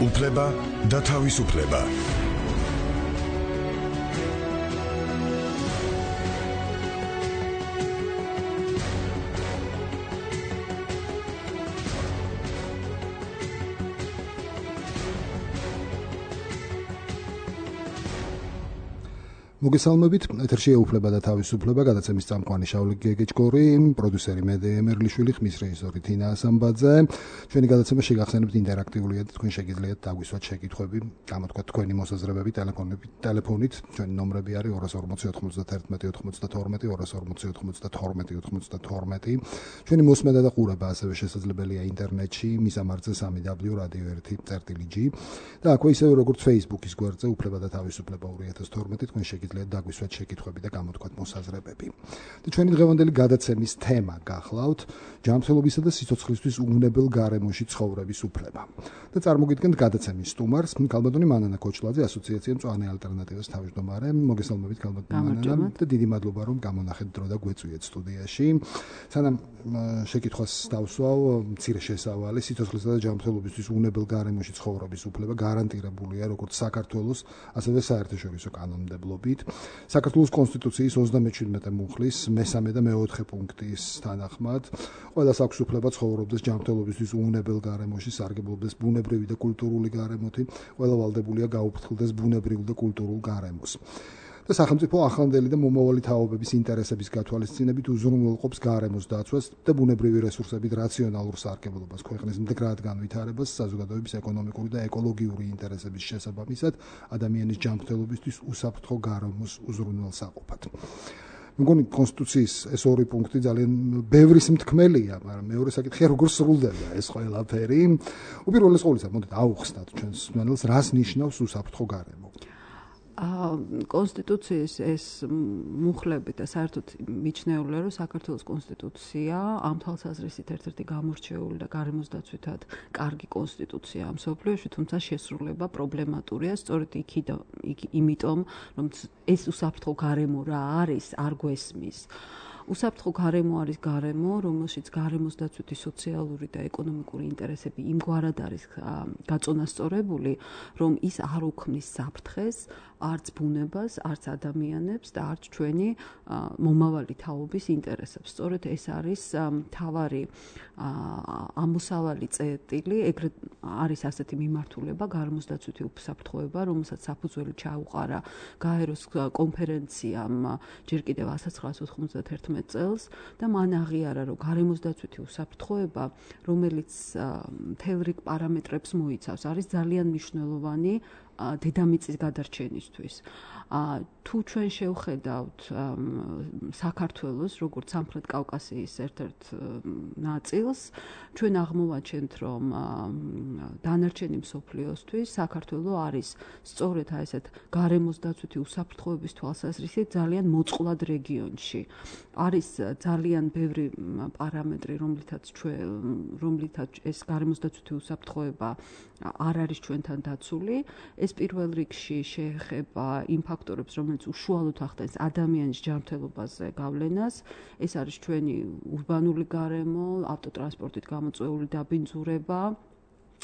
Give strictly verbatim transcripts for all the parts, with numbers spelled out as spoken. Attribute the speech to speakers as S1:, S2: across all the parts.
S1: უფლება და თავისუფლება.
S2: მოგესალმებით, ეთერშია უფლება და თავისუფლება, გადაცემის წამყვანი შავლი გეგეჭკორი, პროდიუსერი მედე ემერლიშვილი, ხმის რეჟისორი თინა ასამბაძე. ჩვენი გადაცემა შეგახსენებთ ინტერაქტიულია და თქვენ შეგიძლიათ დაგვისვათ შეკითხვები, გამოთქვათ თქვენი მოსაზრებები ტელეფონებით, ტელეფონით. ჩვენი ნომრები არის ორი ორმოცი ოთხმოცდაერთმეტი ოცდათორმეტი, ორი ორმოცი ოთხმოცდათორმეტი ოცდათორმეტი. ჩვენი მოსმენა და ყურება ასევე შესაძლებელია ინტერნეტში, მისამართზე სამი დაბლიუ რადიო ერთი წერტილი ჯი და აქვე ისევე როგორც Facebook-ის გვერდზე უფლება და თავისუფლება ორი ათას თორმეტი თქვენ შეგიძლიათ დაგვისვათ შეკითხვები და გამოთქვათ მოსაზრებები. და ჩვენი დღევანდელი გადაცემის თემა გახლავთ ჯანმრთელობისა და სიცოცხლისთვის უნებელ გარემოში ცხოვრების უფლება. და წარმოგიდგენთ gadacemi სტუმარს, ქალბატონი მანანა კოჩლაძე, ასოციაცია მწვანე ალტერნატივას თავმჯდომარე. მოგესალმებით ქალბატონი მანანა და დიდი მადლობა რომ გამონახეთ დრო და გვეწვიეთ სტუდიაში. სანამ შეკითხვას დავსვავ, მცირე შესავალი სიცოცხლისა და ჯანმრთელობისთვის უნებელ გარემოში ცხოვრების უფლება გარანტირებულია როგორც საქართველოს, ასევე საერთაშორისო კანონმდებლობით. საქართველოს კონსტიტუციის ოცდამეჩვიდმეტე მუხლის მესამე და მეოთხე პუნქტის თანახმად ყველას აქვს უფლება ცხოვრობდეს ჯანმრთელობისთვის უნებელ გარემოში, სარგებლობდეს ბუნებრივი და კულტურული გარემოთი, ყველა ვალდებულია გაუფრთხილდეს ბუნებრივ და კულტურულ გარემოს. და სახელმწიფო ახლანდელი და მომავალი თაობების ინტერესების გათვალისწინებით უზრუნველყოფს გარემოს დაცვას და ბუნებრივი რესურსებით რაციონალურ სარგებლობას, ქვეყნის მდგრად განვითარებას, საზოგადოების ეკონომიკური და ეკოლოგიური ინტერესების შესაბამისად ადამიანის ჯანმრთელობისთვის უსაფრთხო გარემოს უზრუნველსაყოფად. მეგონი კონსტიტუციის ეს ორი პუნქტი ძალიან ბევრის მთქმელია, მაგრამ მეორე საკითხია როგორ სრულდება ეს ყველაფერი. უპირველეს ყოვლისა, მოდით აუხსნათ ჩვენს მსმენელს, რას ნიშნავს უსაფრთხო გარემო.
S3: კონსტიტუციის ეს მუხლები და საერთოდ მიჩნეულია, რომ საქართველოს კონსტიტუცია ამ თვალსაზრისით ერთ-ერთი გამორჩეული და გარემოს დაცვითად კარგი კონსტიტუცია მსოფლიოში, თუმცა შესრულება პრობლემატურია, სწორედ იქიდან იმიტომ, რომ ეს უსაფრთხო გარემო რა არის, არ გვესმის. უსაფრთხო გარემო არის გარემო, რომელშიც გარემოს დაცვითი სოციალური და ეკონომიკური ინტერესები იმგვარად არის გაწონასწორებული, რომ ის არ უქმნის საფრთხეს არც ბუნებას, არც ადამიანებს და არც ჩვენი მომავალი თაობის ინტერესებს. სწორედ ეს არის მთავარი ამოსავალი წერტილი, ეგრეთ არის ასეთი მიმართულება გარემოს დაცვითი უსაფრთხოება, რომელსაც საფუძველი ჩაუყარა გაეროს კონფერენციამ ჯერ კიდევ ასი ცხრაასი ოთხმოცდაათერთმეტი წელს და მან აღიარა, რომ გარემოს დაცვითი უსაფრთხოება, რომელიც მთელ რიგ პარამეტრებს მოიცავს, არის ძალიან მნიშვნელოვანი დედამიწის გადარჩენისთვის. თუ ჩვენ შევხედავთ საქართველოს, როგორც სამხრეთ კავკასიის ერთ-ერთ ნაწილს, ჩვენ აღმოვაჩენთ, რომ დანარჩენი მსოფლიოსთვის საქართველო არის სწორედ ესეთ გარემოს დაცვითი უსაფრთხოების თვალსაზრისით ძალიან მოწყვლად რეგიონში. არის ძალიან ბევრი პარამეტრი, რომლითაც ჩვენ რომლითაც ეს გარემოს დაცვითი უსაფრთხოება არ არის ჩვენთან დაცული. ეს პირველ რიგში შეეხება იმ ფაქტორებს, რომელიც უშუალოდ ახდენს ადამიანის ჯანმრთელობაზე გავლენას. ეს არის ჩვენი ურბანული გარემო, ავტოტრანსპორტით გამოწვეული დაბინძურება,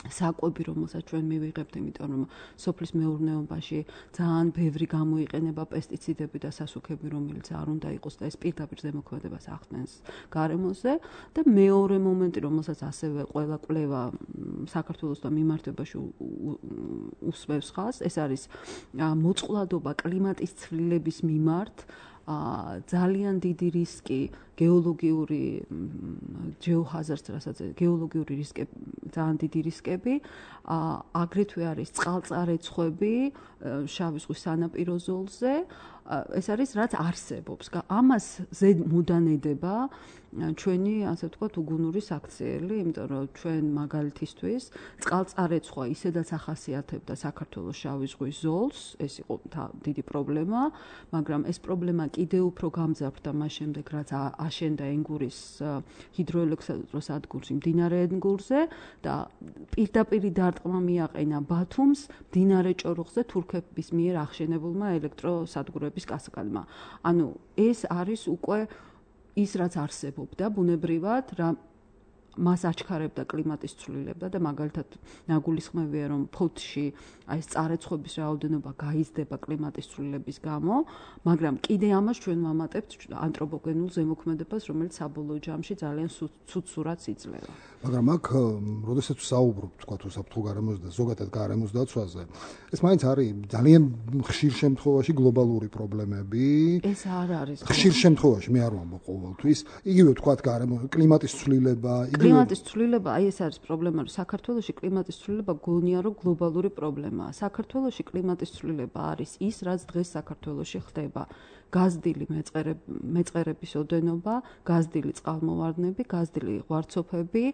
S3: საკვები, რომელსაც ჩვენ მივიღებთ, იმიტომ რომ სოფლის მეურნეობაში ძალიან ბევრი გამოიყენება პესტიციდები და სასუქები, რომელიც არ უნდა იყოს და ეს პირდაპირ ზემოქმედებას ახდენს გარემოზე. და მეორე მომენტი, რომელსაც ასევე ყველა კვლევა საქართველოს და მიმართებაში უსმევს ხაზს, ეს არის მოწყვლადობა კლიმატის ცვლილების მიმართ, ძალიან დიდი რისკი გეოლოგიური ჯეოჰაზარდს, რასაც გეოლოგიური რისკები, ძალიან დიდი რისკები, აგრეთვე არის წყალწარეცხები შავი ზღვის სანაპირო ზოლზე, ეს არის რაც არსებობს. ამას ზედ მუდანედება ჩვენი, ასე ვთქვათ, უგუნური საქციელი, იმიტომ რომ ჩვენ მაგალითისთვის წყალწარეცხვა ისედაც ახასიათებდა საქართველოს შავი ზღვის ზოლს, ეს იყო დიდი პრობლემა, მაგრამ ეს პრობლემა კიდევ უფრო გამძაფრდა მას შემდეგ, რაც აშენდა ენგურის ჰიდროელექტროსადგურში მდინარე ენგურზე და პირდაპირ დარტყმა მიაყენა ბათუმს მდინარე ჭოროხზე თურქების მიერ აღშენებულმა ელექტროსადგურების კასკადმა. ანუ ეს არის უკვე ის რაც არსებობდა ბუნებრივად, რა მას აჩქარებდა კლიმატის ცვლილება და მაგალითად ნაგულისხმევია რომ ფოთში აი ეს წარეცხობის რაოდენობა გაიზრდება კლიმატის ცვლილების გამო, მაგრამ კიდე ამას ჩვენ ვამატებთ ანთროპოგენულ ზემოქმედებას, რომელიც საბოლოო ჯამში ძალიან ცუდ სურათს იძლევა.
S2: მაგრამ აქ, როდესაც საუბრობთ, თქვა თუ საფრთხო გარემოს და ზოგადად გარემოს დაცვაზე, ეს მაინც არის ძალიან ხშირ შემთხვევაში გლობალური პრობლემები.
S3: ეს არ არის.
S2: ხშირ შემთხვევაში მე არ ვამბობ ყოველთვის. იგივე თქვა გარემო კლიმატის ცვლილება,
S3: კლიმატის ცვლილება, აი ეს არის პრობლემა, რომ საქართველოში კლიმატის ცვლილება გონია რომ გლობალური პრობლემაა. საქართველოში კლიმატის ცვლილება არის ის, რაც დღეს საქართველოში ხდება. გაზრდილი მეწყერების ოდენობა, გაზრდილი წყალმოვარდნები, გაზრდილი ღვარცოფები,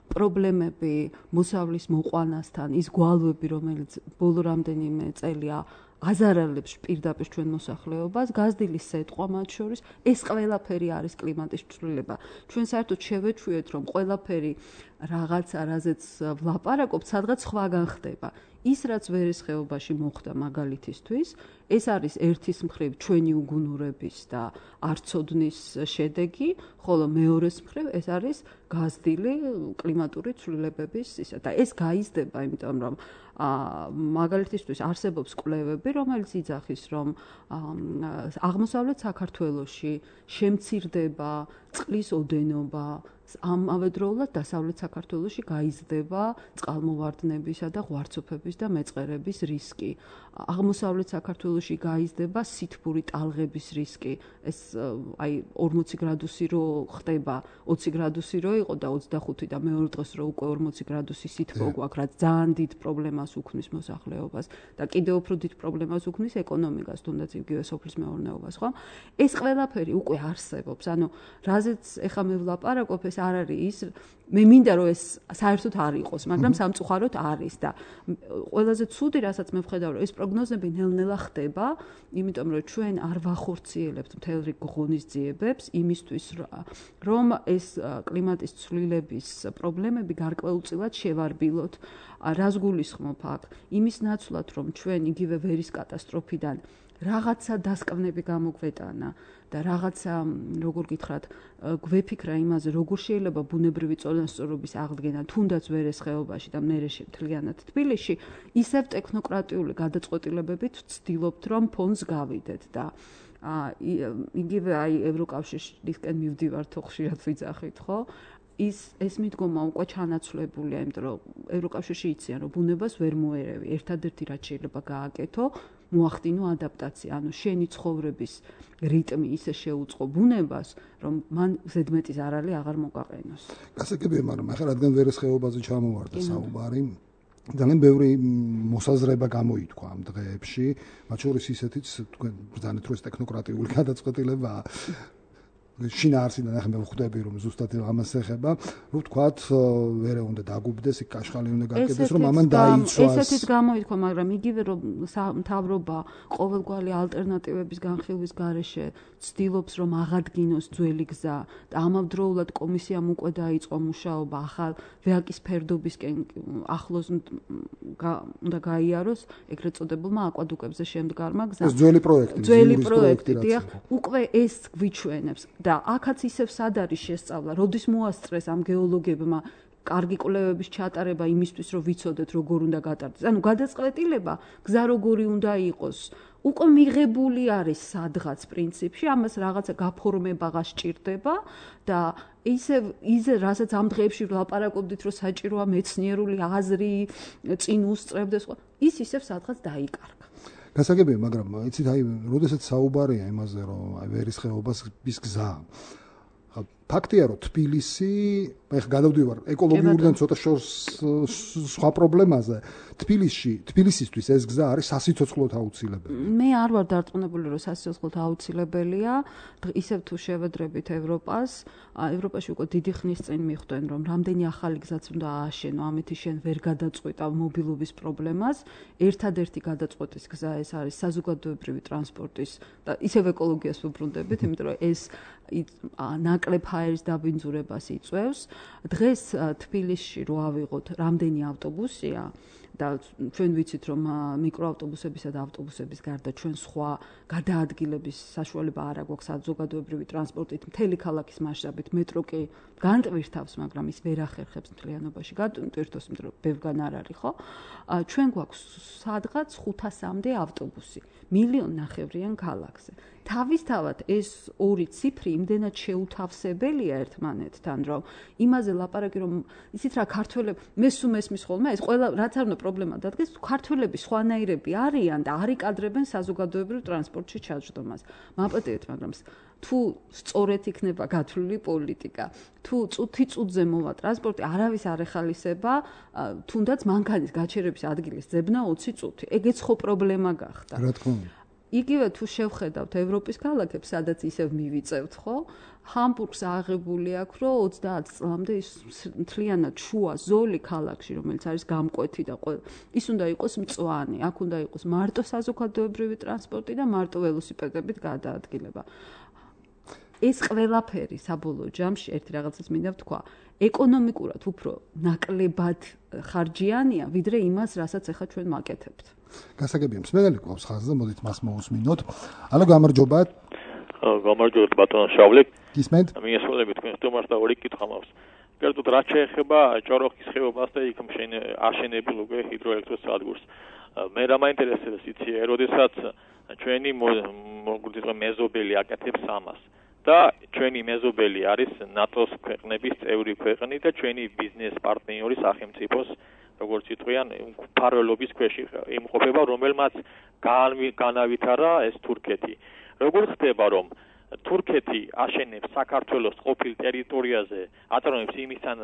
S3: პრობლემები მოსავლის მოყვანასთან, ის გვალვები, რომელიც ბოლო რამდენიმე წელია აზარალებს პირდაპირ ჩვენ მოსახლეობას, გაზრდილი სეტყვა მათ შორის, ეს ყველაფერი არის კლიმატის ცვლილება. ჩვენ საერთოდ შევეჩვიეთ, რომ ყველაფერი რაღაცა, რაზეც ვლაპარაკობთ, სადღაც სხვაგან ხდება. ის, რაც ვერის ხეობაში მოხდა მაგალითისთვის, ეს არის ერთის მხრივ ჩვენი უგუნურების და არცოდნის შედეგი, ხოლო მეორეს მხრივ ეს არის გაზრდილი კლიმატური ცვლილებების ისა და ეს გაიზრდება, იმიტომ რომ მაგალითისთვის არსებობს კვლევები, რომელიც იძახის, რომ აღმოსავლეთ საქართველოში შემცირდება წყლის ოდენობა, ამავდროულად დასავლეთ საქართველოში გაიზრდება წყალმოვარდნებისა და ღვარცოფების და მეწყერების რისკი. აღმოსავლეთ საქართველოში გაიზრდება სითბური ტალღების რისკი. ეს აი ორმოცი გრადუსი რო ხდება, ოცი გრადუსი რო იყო და ოცდახუთი და მეორე დღეს რო უკვე ორმოცი გრადუსი სითბო გვაქვს, რაც ძალიან დიდ პრობლემას უქმნის მოსახლეობას და კიდევ უფრო დიდ პრობლემას უქმნის ეკონომიკას, თუნდაც იგივე სოფლის მეურნეობას, ხო? ეს ყველაფერი უკვე არსებობს. ანუ რაზეც ეხა მე ვლაპარაკობ, ეს არ არის ის, მე მინდა რომ ეს საერთოდ არ იყოს, მაგრამ სამწუხაროდ არის და ყველაზე ცუდი, რასაც მე ვხედავ, რომ ეს პროგნოზები ნელ-ნელა ხდება, იმიტომ რომ ჩვენ არ ვახორციელებთ მთელ რიგ ღონისძიებებს იმისთვის, რომ ეს კლიმატის ცვლილების პრობლემები გარკვეულწილად შევარბილოთ. რას გულისხმობ აქ? იმის ნაცვლად, რომ ჩვენ იგივე ვერის კატასტროფიდან რაღაცა დასკვნები გამოგვეტანა და რაღაცა, როგორ გითხრათ, გვეფიქრა იმაზე, როგორ შეიძლება ბუნებრივი წონასწორობის აღდგენა თუნდაც ვერეს ხეობაში და მერე მთლიანად თბილისში, ისევ ტექნოკრატიული გადაწყვეტილებებით ვცდილობთ, რომ ფონს გავიდეთ და იგივე აი ევროკავშირისკენ მივდივართ, ხშირად ვიძახით, ხო? ის ეს მიდგომა უკვე ჩანაცვლებულია, იმიტომ რომ ევროკავშირში იციან, რომ ბუნებას ვერ მოერევი. ერთადერთი რაც შეიძლება გააკეთო, მოახდინო ადაპტაცია, ანუ შენი ცხოვრების რიტმი ისე შეუწყო ბუნებას, რომ მან ზედმეტი ზარალი აღარ მოგაყენოს.
S2: გასაგებია, მაგრამ ახლა რადგან ვერეს ხეობაზე ჩამოვარდა საუბარი, ძალიან ბევრი მოსაზრება გამოითქვა ამ დღეებში, მათ შორის ისეთიც, თქვენ ბრძანეთ, რომ ეს ტექნოკრატიული გადაწყვეტილებაა. შინაარსიდან ახლა მე ვხვდები, რომ ზუსტად ამას ეხება, რომ თქვათ, ვერე უნდა დაგუბდეს, იქ კაშხალი უნდა გაკეთდეს, რომ ამან დაიცვას.
S3: ესეთიც გამოითქვა, მაგრამ იგივე რომ მთავრობა ყოველგვარი ალტერნატივების განხილვის გარეშე ცდილობს, რომ აღადგინოს ძველი გზა და ამავდროულად კომისიამ უკვე დაიწყო მუშაობა ახალ ვეაკის ფერდობისკენ ახლოს უნდა გაიაროს ეგრეთ წოდებულმა აკვადუკებზე შემდგარმა გზამ.
S2: ეს ძველი პროექტი,
S3: ძველი პროექტი, დიახ, უკვე ეს გვიჩვენებს და აქაც ისევ სად არის შესწავლა, როდის მოასწრეს ამ გეოლოგებმა კარგი კვლევების ჩატარება იმისთვის, რომ ვიცოდეთ, როგორ უნდა გატარდეს. ანუ გადაწყვეტილება, გზა როგორი უნდა იყოს, უკვე მიღებული არის სადღაც პრინციპში, ამას რაღაცა გაფორმება სჭირდება და ისე ისე რასაც ამ დღეებში ვლაპარაკობდით, რომ საჭიროა მეცნიერული აზრი, წინ უსწრებდეს, ის ისევ სადღაც დაიკარგა.
S2: გასაგებია, მაგრამ იცით, აი, როდესაც საუბარია იმაზე, რომ აი ვერის ხეობას ის გზა. ფაქტია, რომ თბილისი, ეხლა გადავდივარ ეკოლოგიურიდან ცოტა შორს სხვა პრობლემაზე. თბილისში, თბილისისთვის ეს გზა არის სასიცოცხლოდ აუცილებელი.
S3: მე არ ვარ დარწმუნებული, რომ სასიცოცხლოდ აუცილებელია. ისევ თუ შევედრებით ევროპას, ევროპაში უკვე დიდი ხნის წინ მიხვდნენ, რომ რამდენი ახალი გზაც უნდა ააშენო, ამეთი შენ ვერ გადაწყვეტავ მობილობის პრობლემას. ერთადერთი გადაწყვეტის გზა ეს არის საზოგადოებრივი ტრანსპორტის და ისევ ეკოლოგიას ვუბრუნდებით, იმიტომ რომ ეს ნაკლებ ჰაერის დაბინძურებას იწვევს. დღეს თბილისში რო ავიღოთ, რამდენი ავტობუსია, და ჩვენ ვიცით რომ მიკროავტობუსებისა და ავტობუსების გარდა ჩვენ სხვა გადაადგილების საშუალება არ აქვს საზოგადოებრივი ტრანსპორტით მთელი ქალაქის მასშტაბით მეტრო კი განტვირთავს, მაგრამ ის ვერ ახერხებს მთლიანობაში განტვირთოს, იმიტომ რომ ბევრგან არ არის, ხო? ჩვენ გვაქვს სადღაც ხუთასამდე ავტობუსი მილიონ ნახევრიან ქალაქზე. თავისთავად ეს ორი ციფრი იმდენად შეუთავსებელია ერთმანეთთან, რომ იმაზე ლაპარაკი რომ იცით რა ქართველები მე სულ მესმის ხოლმე ეს ყველა რაც არ უნდა პრობლემა დადგეს, ქართველები სხვანაირები არიან და არ იკადრებენ საზოგადოებრივ ტრანსპორტში ჩაჯდომას. მაპატიეთ, მაგრამ თუ სწორედ იქნება გათვლილი პოლიტიკა, თუ წუთი წუთზე მოვა ტრანსპორტი, არავის არ ეხალისება, თუნდაც მანქანის გაჩერების ადგილის ძებნა ოცი წუთი. ეგეც ხო პრობლემა გახდა.
S2: რა თქმა უნდა.
S3: იგივე თუ შევხედავთ ევროპის ქალაქებს, სადაც ისევ მივიწევთ, ხო? ჰამბურგს აღებული აქვს, რომ ოცდაათ წლამდე ის მთლიანად შუა ზოლი ქალაქში, რომელიც არის გამკვეთი და ის უნდა იყოს მწვანე, აქ უნდა იყოს მარტო საზოგადოებრივი ტრანსპორტი და მარტო ველოსიპედებით გადაადგილება. ეს ყველაფერი საბოლოო ჯამში ერთი რაღაცას მინდა ვთქვა, ეკონომიკურად უფრო ნაკლებად ხარჯიანია, ვიდრე იმას, რასაც ახლა ჩვენ მაკეთებთ.
S2: გასაგებია, მსმენელი გვყავს ხაზზე, მოდით მას მოусმინოთ. ალო, გამარჯობა.
S4: გამარჯობა ბატონო შავლე.
S2: გისმენთ?
S4: მიესალმები თქვენ სტუმარს და ორი კითხვა მაქვს. კერძოდ რაც შეეხება ჭოროხის ხეობას და იქ აშენებულ უკვე ჰიდროელექტროსადგურს. მე რა მაინტერესებს იცი, როდესაც ჩვენი მოგვიწევ მეზობელი აკეთებს ამას. და ჩვენი მეზობელი არის ნატოს ქვეყნების წევრი ქვეყნი და ჩვენი ბიზნეს პარტნიორი სახელმწიფოს როგორც იტყვიან ფარველობის ქვეშ იმყოფება, რომელმაც განავითარა ეს თურქეთი. როგორ ხდება რომ თურქეთი აშენებს საქართველოს ყოფილ ტერიტორიაზე აწარმოებს იმისთან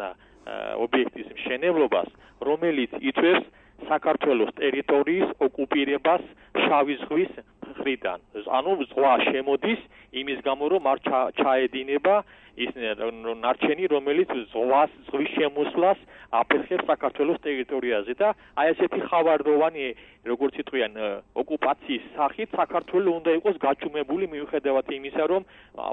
S4: ობიექტის მშენებლობას, რომელიც იწვევს საქართველოს ტერიტორიის ოკუპირებას შავი ზღვის მხრიდან. ანუ ზღვა შემოდის იმის გამო რომ არ ჩაედინება ის ნარჩენი, რომელიც ზღვას ზღვის შემოსვლას აფერხებს საქართველოს ტერიტორიაზე და აი ესეთი ხავარდოვანი როგორც იტყვიან ოკუპაციის სახით საქართველოს უნდა იყოს გაჩუმებული მიუხედავად იმისა რომ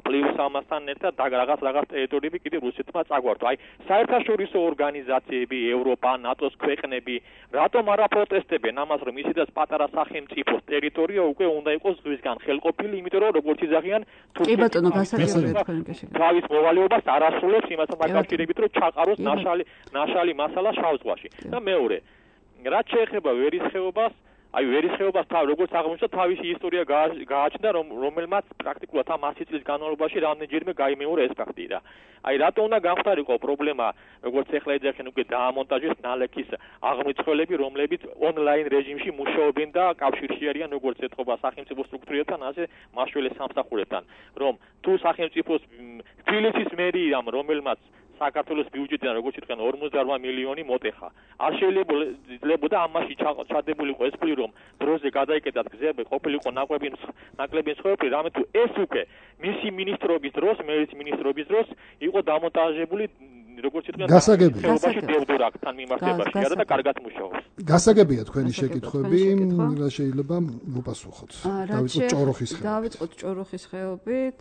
S4: პლუს ამასთან ერთად რაღაც რაღაც ტერიტორიები კიდევ რუსეთმა წაგვართვა. აი საერთაშორისო ორგანიზაციები, ევროპა, ნატოს ქვეყნები რატომ არ აპროტესტებენ ამას რომ ისედაც პატარა სახელმწიფოს ტერიტორია უკვე უნდა იყოს ზღვისგან ხელყოფილი, იმიტომ რომ როგორც იზაღიან
S3: კი ბატონო, გასაგებია თქვენ გაშეგეთ.
S4: თავის მოვალეობას არ ასრულებს იმასთან დაკავშირებით რომ ჩაყაროს ნაშალი ნაშალი მასალა შავ ზღვაში. და მეორე, რაც შეეხება ვერის ხეობას, აი ვერის ხეობას თავ როგორც აღმოჩნდა თავისი ისტორია გააჩნდა რომ რომელმაც პრაქტიკულად ამ ასი წლის განმავლობაში რამდენჯერმე გაიმეორა ეს ფაქტი და აი რატო უნდა გამხდარიყო პრობლემა როგორც ახლა ეძახენ უკვე დაამონტაჟეს ნალექის აღმრიცხველები რომლებიც ონლაინ რეჟიმში მუშაობენ და კავშირში არიან როგორც ეთყობა სახელმწიფო სტრუქტურებთან ასე მაშველე სამსახურებთან რომ თუ სახელმწიფოს თბილისის მერიამ რომელმაც საქართველოს ბიუჯეტიდან როგორც იტყვიან ორმოცდაორ მილიონი მოტეხა. არ შეიძლებოდა ამაში ჩადებულიყო ეს ფული რომ დროზე გადაიკეტათ გზები, ყოფილიყო ნაკლები ნაკლები ცხოვრები, რამე თუ ეს უკვე მისი მინისტრობის დროს, მერის მინისტრობის დროს იყო დამონტაჟებული როგორც იტყვიან
S2: გასაგებია
S4: დევდურაკთან მიმართებაში და კარგად მუშაობს.
S2: გასაგებია თქვენი შეკითხვები, რა შეიძლება ვუპასუხოთ.
S3: დავიწყოთ ჭოროხის ხეობით. დავიწყოთ ჭოროხის ხეობით.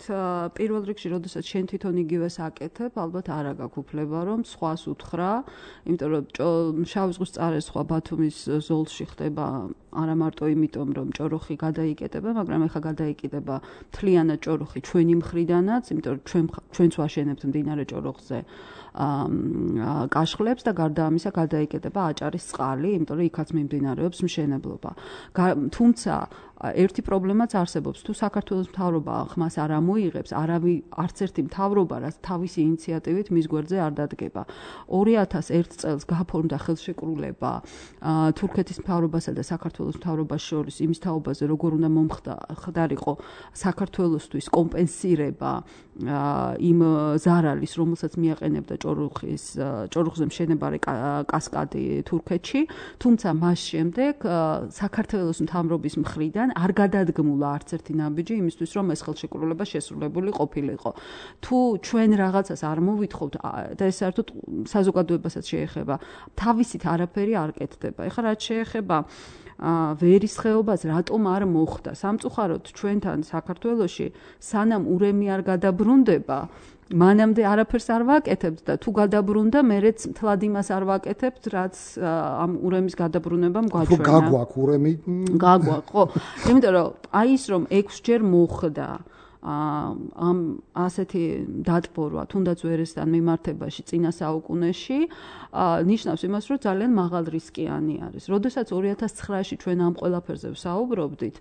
S3: პირველ რიგში, როდესაც შენ თვითონ იგივეს აკეთებ, ალბათ არა გაქვს უფლება რომ სხვას უთხრა, იმიტომ რომ შავი ზღვის წარე სხვა ბათუმის ზოლში ხდება არა მარტო იმიტომ რომ ჭოროხი გადაიკეტება, მაგრამ ეხა გადაიკეტება მთლიანად ჭოროხი ჩვენი მხრიდანაც, იმიტომ რომ ჩვენ ჩვენც ვაშენებთ მდინარე ჭოროხზე კაშხლებს და გარდა ამისა გადაიკეტება აჭარის წყალი, იმიტომ რომ იქაც მიმდინარეობს მშენებლობა. თუმცა ერთი პრობლემაც არსებობს, თუ საქართველოს მთავრობა ხმას არ ამოიღებს, არავი არც ერთი მთავრობა რაც თავისი ინიციატივით მის გვერდზე არ დადგება. ორი ათას ერთ წელს გაფორმდა ხელშეკრულება თურქეთის მთავრობასა და საქართველოს მთავრობას შორის იმის თაობაზე, როგორ უნდა მომხდარიყო საქართველოსთვის კომპენსირება იმ ზარალის, რომელსაც მიაყენებდა ჭოროხის ჭოროხზე მშენებარე კასკადი თურქეთში, თუმცა მას შემდეგ საქართველოს მთავრობის მხრიდან არ გადადგმულა არც ერთი ნაბიჯი იმისთვის, რომ ეს ხელშეკრულება შესრულებული ყოფილიყო. თუ ჩვენ რაღაცას არ მოვითხოვთ და ეს საერთოდ საზოგადოებასაც შეეხება, თავისით არაფერი არ კეთდება. ეხლა რაც შეეხება ვერის ხეობას რატომ არ მოხდა? სამწუხაროდ ჩვენთან საქართველოში სანამ ურემი არ გადაბრუნდება, მანამდე არაფერს არ ვაკეთებთ და თუ გადაბრუნდა, მერეც მთლად იმას არ ვაკეთებთ, რაც ამ ურემის გადაბრუნებამ გვაჩვენა.
S2: თუ გაგვაქვს ურემი,
S3: გაგვაქვს, ხო. იმიტომ რომ აი ის რომ ექვსჯერ მოხდა ამ ასეთი დატბორვა, თუნდაც ვერესთან მიმართებაში წინა საუკუნეში, ნიშნავს იმას, რომ ძალიან მაღალ რისკიანი არის. როდესაც ორი ათას ცხრაში ჩვენ ამ ყველაფერზე ვსაუბრობდით,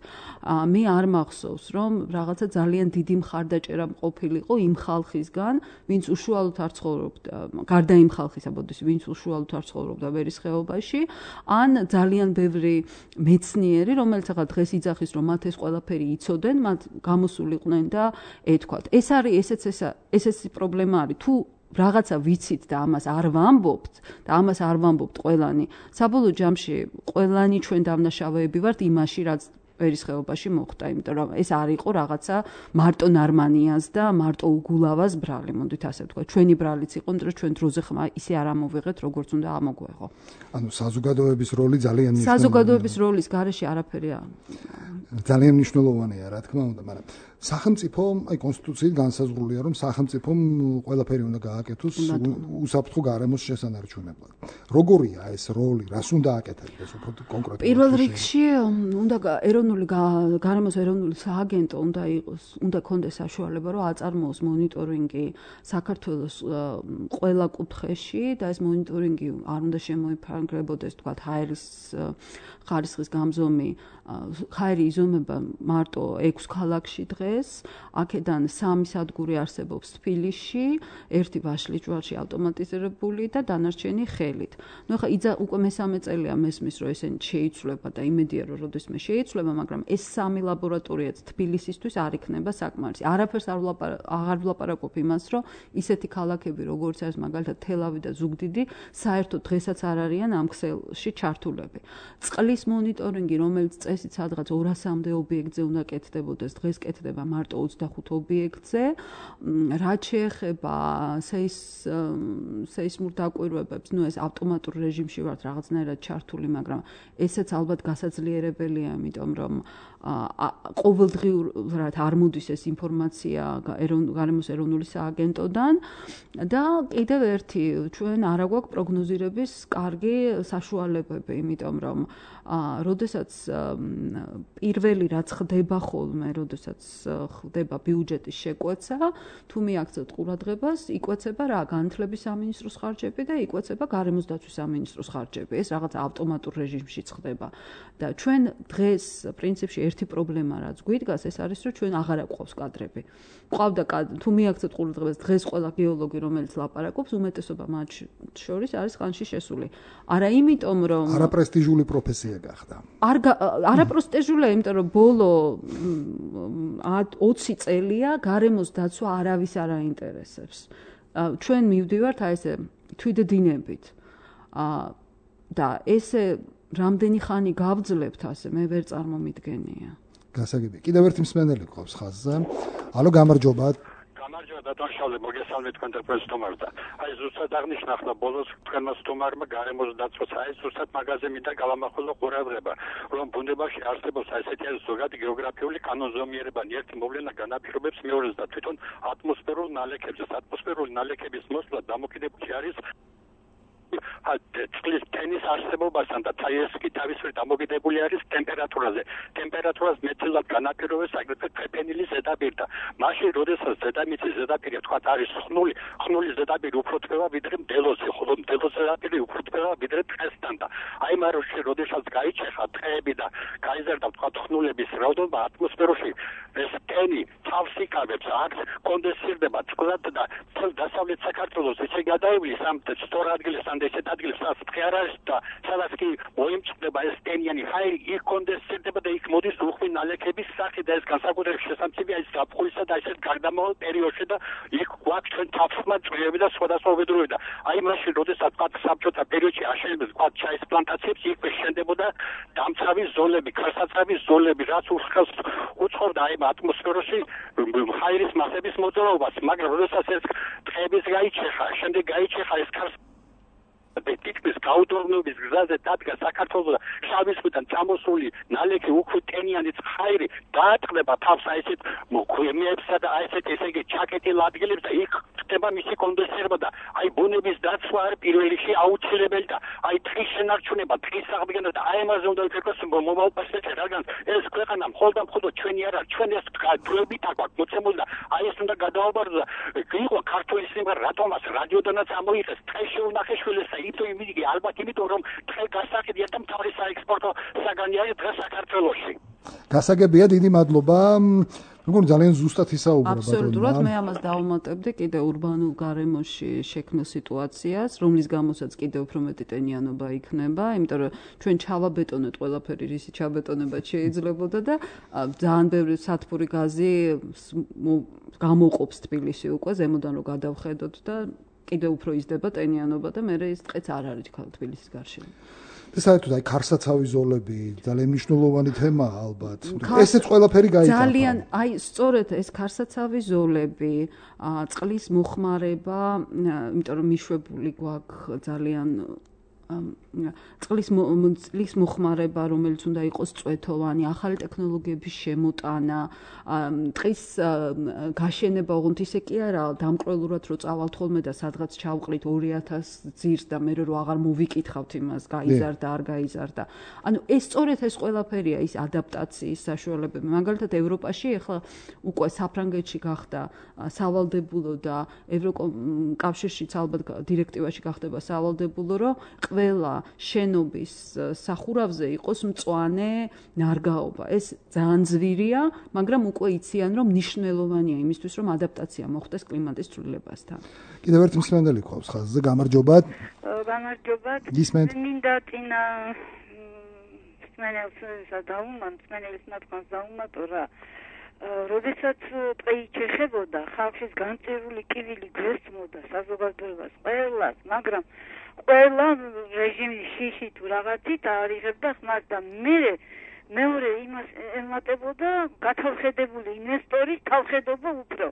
S3: მე არ მახსოვს, რომ რაღაცა ძალიან დიდი მხარდაჭერა ყოფილიყო იმ ხალხისგან, ვინც უშუალოდ არ ცხოვრობდა, გარდა იმ ხალხისა, ბოდის, ვინც უშუალოდ არ ცხოვრობდა ვერის ხეობაში, ან ძალიან ბევრი მეცნიერი, რომელიც ახლა დღეს იძახის, რომ მათ ეს ყველაფერი იცოდნენ, მათ გამოსულიყვნენ და ეთქვათ. ეს არის ესეც ესეც პრობლემა არის. თუ რაღაცა ვიცით და ამას არ ვამბობთ და ამას არ ვამბობთ ყველანი. საბოლოო ჯამში ყველანი ჩვენ დამნაშავეები ვართ იმაში, რაც ვერის ხეობაში მოხდა, იმიტომ რომ ეს არ იყო რაღაცა მარტო ნარმანიას და მარტო უგულავას ბრალი, მოდით ასე ვთქვა. ჩვენი ბრალიც იყო, იმიტომ რომ ჩვენ დროზე ხმა ისე არ ამოვიღეთ, როგორც უნდა ამოგვეღო.
S2: ანუ საზოგადოების როლი ძალიან მნიშვნელოვანია.
S3: საზოგადოების როლის გარეშე არაფერი
S2: ძალიან მნიშვნელოვანია, რა თქმა უნდა, მაგრამ სახელმწიფო, აი კონსტიტუციით განსაზღვრულია, რომ სახელმწიფომ ყველაფერი უნდა გააკეთოს უსაფრთხო გარემოს შესანარჩუნებლად. როგორია ეს როლი, რას უნდა აკეთებდეს უფრო კონკრეტულად?
S3: პირველ რიგში უნდა ეროვნული გარემოს ეროვნული სააგენტო უნდა იყოს, უნდა კონდეს საშუალება, რომ აწარმოოს მონიტორინგი საქართველოს ყველა კუთხეში და ეს მონიტორინგი არ უნდა შემოიფარგლებოდეს, თქვა, ჰაერის ხარისხის გამზომი, ჰაერი იზომება მარტო ექვს ქალაქში დღეს, აქედან სამი სადგური არსებობს თბილისში, ერთი ვაშლიჯვარში ავტომატიზირებული და დანარჩენი ხელით. ნუ ახლა იძა უკვე მესამე წელია მესმის, რომ ესენი შეიცვლება და იმედია, რომ როდესმე შეიცვლება, მაგრამ ეს სამი ლაბორატორიაც თბილისისთვის არ იქნება საკმარისი. არაფერს არ აღარ ვლაპარაკობ იმას, რომ ისეთი ქალაქები, როგორც არის მაგალითად თელავი და ზუგდიდი, საერთოდ დღესაც არ არიან ამ ქსელში ჩართულები. წყლის მონიტორინგი, რომელიც წესით სადღაც ორასამდე ობიექტზე უნდა კეთდებოდეს, დღეს კეთდება მარტო ოცდახუთ ობიექტზე. რაც შეეხება სეისმურ დაკვირვებებს, ნუ ეს ავტომატურ რეჟიმში ვართ რაღაცნაირად ჩართული, მაგრამ ესეც ალბათ გასაძლიერებელია, იმიტომ რომ ყოველდღიურად არ მოდის ეს ინფორმაცია გარემოს ეროვნული სააგენტოდან და კიდევ ერთი, ჩვენ არ აგვაქვს პროგნოზირების კარგი საშუალებები, იმიტომ რომ როდესაც პირველი რაც ხდება ხოლმე, როდესაც ხდება ბიუჯეტის შეკვეცა, თუ მიაქცევთ ყურადღებას, იკვეცება რა, განათლების სამინისტროს ხარჯები და იკვეცება გარემოს დაცვის სამინისტროს ხარჯები. ეს რაღაც ავტომატურ რეჟიმშიც ხდება და ჩვენ დღეს პრინციპში ერთი პრობლემა რაც გვიდგას, ეს არის, რომ ჩვენ აღარ აგვყავს კადრები. ყავდა თუ მიაქცევთ ყურადღებას, დღეს ყველა გეოლოგი, რომელიც ლაპარაკობს, უმეტესობა მათ შორის არის ხანში შესული. არა იმიტომ, რომ
S2: არაპრესტიჟული პროფესია გახდა.
S3: არ არაპრესტიჟულია, იმიტომ რომ ბოლო ოცი წელია გარემოს დაცვა არავის არ აინტერესებს. ჩვენ მივდივართ აი ესე თვითდინებით. და ესე რამდენი ხანი გავძლებთ ასე, მე ვერ წარმომიდგენია.
S2: გასაგები. კიდევ ერთი მსმენელი ყავს ხაზზე. ალო, გამარჯობა.
S5: გამარჯობა დათვალშავლე, მოგესალმებით თქვენ თქვენს თომარს. აი ზუსტად აღნიშნა ახლა ბოლოს თქვენმა თომარმა გარემოს დაცვას, აი ზუსტად მაგაზე მინდა გავამახვილო ყურადღება, რომ ბუნებაში არსებობს ასეთი ზოგადი გეოგრაფიული კანონზომიერება, ერთი მოვლენა განაპირობებს მეორეს და თვითონ ატმოსფერულ ნალექებზე, ატმოსფერული ნალექების მოსვლა დამოკიდებული არის წყლის ტენის არსებობასთან და ეს კი თავისუფლად დამოკიდებული არის ტემპერატურაზე. ტემპერატურას მეტილად განაპირობებს აგრეთვე ფეფენილის ზედაპირი და მაშინ, როდესაც ზედამიწის ზედაპირი თქვა არის ხნული, ხნული ზედაპირი უფრო თბება ვიდრე მდელოზე, ხოლო მდელოს ზედაპირი უფრო თბება ვიდრე ტყესთან და აი მაროში, როდესაც გაიჩეხა ტყეები და გაიზარდა თქვა ხნულების რაოდენობა ატმოსფეროში, ეს ტენი თავს იკავებს, აქ კონდენსირდება წყლად და თელ დასავლეთ საქართველოს ისე გადაივლის ამ სწორ ადგილას ესეთ ადგილს სადაც ტყე არ არის და სადაც კი მოიმწყდება ეს ტენიანი ჰაერი, იქ კონდენსირდება და იქ მოდის უხვი ნალექების სახით და ეს განსაკუთრებით შესამცირია ის ზაფხულისა და ესეთ გარდამავალ პერიოდში და იქ გვაქვს ჩვენ თაფსმა წვიმები და სხვადასხვა უბედურები და აი მაშინ, როდესაც თქვა საბჭოთა პერიოდში აშენებდეს თქვა ჩაის პლანტაციებს, იქ შენდებოდა დამცავი ზოლები, ქარსაცავი ზოლები, რაც უშხელს უწყობდა აი ატმოსფეროში ჰაერის მასების მოძრაობას, მაგრამ როდესაც ეს ტყეების გაიჩეხა, შემდეგ გაიჩეხა ეს ქარს ტიპის გაუდორნობის გზაზე დადგა საქართველოს შავი ზღვიდან წამოსული ნალექი უხვი ტენიანი ცხაირი დაატყდება თავს აი ესეთ მოქმედებსა და აი ესეთ ესე იგი ჩაკეტილ ადგილებს და იქ მიღწევა მისი კონდენსირება და აი ბუნების დაცვა არის პირველ რიგში აუცილებელი და აი ტყის შენარჩუნება, ტყის აღდგენა და აი ამაზე უნდა ვფიქროთ მომავალ პერსპექტივაში, რადგან ეს ქვეყანა მხოლოდ და მხოლოდ ჩვენი არ არის, ჩვენ ეს დროებით აქვს მოცემული და აი ეს უნდა გადავაბარო და იყო ქართული სიმღერა რატომაც რადიოდანაც ამოიღეს ტყეში უნახეშვილის და ითო იმიდი ალბათ იმიტომ რომ ტყე გასაკეთია და მთავარი საექსპორტო საგანი არის დღეს საქართველოში.
S2: გასაგებია, დიდი მადლობა. მეგონი ძალიან ზუსტად ისაუბრა ბატონო.
S3: აბსოლუტურად მე ამას დავუმატებდი კიდე ურბანულ გარემოში შექმნილ სიტუაციას, რომლის გამოსაც კიდე უფრო მეტი ტენიანობა იქნება, იმიტომ რომ ჩვენ ჩავაბეტონეთ ყველაფერი, რისი ჩაბეტონებაც შეიძლებოდა და ძალიან ბევრი სათბური გაზი გამოყოფს თბილისი უკვე ზემოდან რომ გადავხედოთ და კიდე უფრო იზრდება ტენიანობა და მე ეს ტყეც არ არის თბილისის გარშემო.
S2: საერთოდ აი ქარსაცავი ზოლები ძალიან მნიშვნელოვანი თემაა ალბათ. ესეც ყველაფერი გაიგო.
S3: ძალიან აი სწორედ ეს ქარსაცავი ზოლები, წყლის მოხმარება, იმიტომ რომ მიშვებული გვაქვს ძალიან წყლის წყლის მოხმარება, რომელიც უნდა იყოს წვეთოვანი, ახალი ტექნოლოგიების შემოტანა, ტყის გაშენება, ოღონდ ისე კი არა, დამკვრელურად რო წავალთ ხოლმე და სადღაც ჩავყრით ორი ათას ძირს და მე რო აღარ მოვიკითხავთ იმას, გაიზარდა, არ გაიზარდა. ანუ ეს სწორედ ეს ყველაფერია ის ადაპტაციის საშუალებები. მაგალითად ევროპაში ახლა უკვე საფრანგეთში გახდა სავალდებულო და ევროკავშირშიც ალბათ დირექტივაში გახდება სავალდებულო, რომ ყველა შენობის სახურავზე იყოს მწვანე ნარგაობა. ეს ძალიან ძვირია, მაგრამ უკვე იციან, რომ მნიშვნელოვანია იმისთვის, რომ ადაპტაცია მოხდეს კლიმატის ცვლილებასთან.
S2: კიდევ ერთი მსმენელი ყავს ხაზზე, გამარჯობა.
S6: გამარჯობა.
S2: გისმენთ.
S6: მინდა წინა მსმენელს დავუმატო, მსმენელის ნათქვამს დავუმატო რა. როდესაც ტყე იჩეხებოდა, ხალხის განწირული კივილი გვესწმოდა საზოგადოებას ყველას, მაგრამ ყველა რეჟიმის შიში თუ რაღაცით არიღებდა ხმას და მე მეორე იმას ემატებოდა გათავხედებული ინვესტორის თავხედობა უფრო.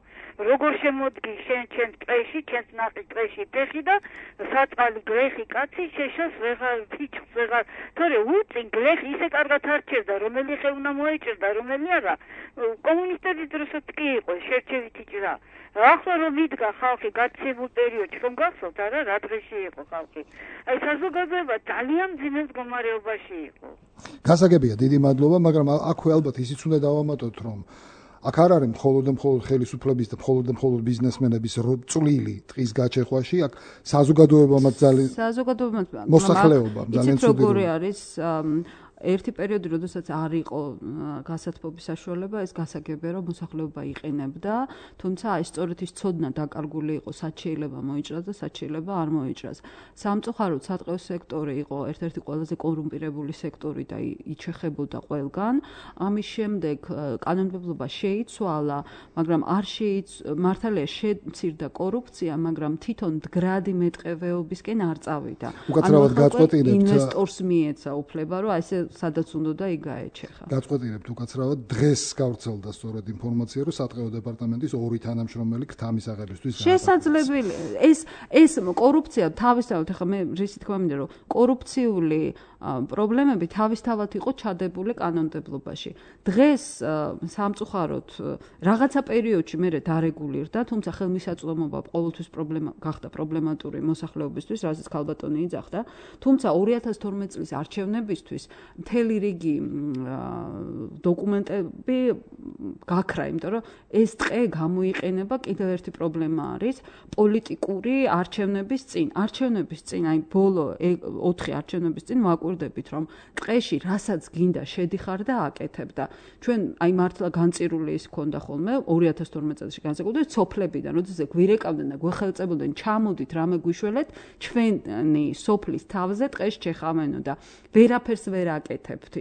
S6: როგორ შემოდგი შენ ჩემ ტყეში, ჩემს ნაყი ტყეში ფეხი და საწყალი გლეხი კაცი შეშოს ვეღარ ფიჩს ვეღარ. თორე უწინ გლეხი ისე კარგად არჩევდა, რომელი ხე უნდა მოეჭრდა, რომელი არა. კომუნისტების დროსაც კი იყო შერჩევითი ჭრა. ახლა რომ იდგა ხალხი გაცემულ პერიოდში, რომ გახსოვთ არა, რა დღეში იყო ხალხი. აი საზოგადოება ძალიან ძიმე მდგომარეობაში იყო.
S2: გასაგებია, დიდი მადლობა, მაგრამ აქვე ალბათ ისიც უნდა დავამატოთ, რომ აქ არ არის მხოლოდ და მხოლოდ ხელისუფლების და მხოლოდ და მხოლოდ ბიზნესმენების წვლილი ტყის გაჩეხვაში, აქ საზოგადოებამაც ძალიან
S3: საზოგადოებამაც
S2: მოსახლეობამ ძალიან
S3: ცუდია. როგორი არის ერთი პერიოდი, როდესაც არ იყო გასათბობის საშუალება, ეს გასაგებია, რომ მოსახლეობა იყენებდა, თუმცა აი სწორედ ის ცოდნა დაკარგული იყო, სად შეიძლება მოიჭრას და სად შეიძლება არ მოიჭრას. სამწუხაროდ სატყეო სექტორი იყო ერთ-ერთი ყველაზე კორუმპირებული სექტორი და იჩეხებოდა ყველგან. ამის შემდეგ კანონმდებლობა შეიცვალა, მაგრამ არ შეიც მართალია შემცირდა კორუფცია, მაგრამ თვითონ მდგრადი მეტყევეობისკენ არ წავიდა.
S2: უკაცრავად გაწყვეტინებთ
S3: ინვესტორს მიეცა უფლება, რომ აი ესე სადაც უნდა და იქ გაეჩეხა.
S2: გაწყვეტინებთ უკაცრავად დღეს გავრცელდა სწორედ ინფორმაცია, რომ სატყეო დეპარტამენტის ორი თანამშრომელი ქთამის აღებისთვის
S3: შესაძლებელი ეს ეს კორუფცია თავისთავად ახლა მე რისი თქმა მინდა რომ კორუფციული პრობლემები თავისთავად იყო ჩადებული კანონმდებლობაში. დღეს სამწუხაროდ რაღაცა პერიოდში მე დარეგულირდა, თუმცა ხელმისაწვდომობა ყოველთვის პრობლემა გახდა პრობლემატური მოსახლეობისთვის, რასაც ქალბატონი იძახდა, თუმცა ორი ათას თორმეტ წლის არჩევნებისთვის მთელი რიგი დოკუმენტები გაქრა, იმიტომ რომ ეს ტყე გამოიყენება კიდევ ერთი პრობლემა არის პოლიტიკური არჩევნების წინ. არჩევნების წინ, აი ბოლო ოთხი არჩევნების წინ ვაკვირდებით, რომ ტყეში რასაც გინდა შედიხარ და აკეთებ და ჩვენ აი მართლა განწირული ის ქონდა ხოლმე ორი ათას თორმეტ წელს განსაკუთრებით სოფლებიდან, როდესაც გვირეკავდნენ და გვეხელწებოდნენ, ჩამოდით რამე გვიშველეთ, ჩვენი სოფლის თავზე ტყეში ჩეხავენო და ვერაფერს ვერ აკეთებთ,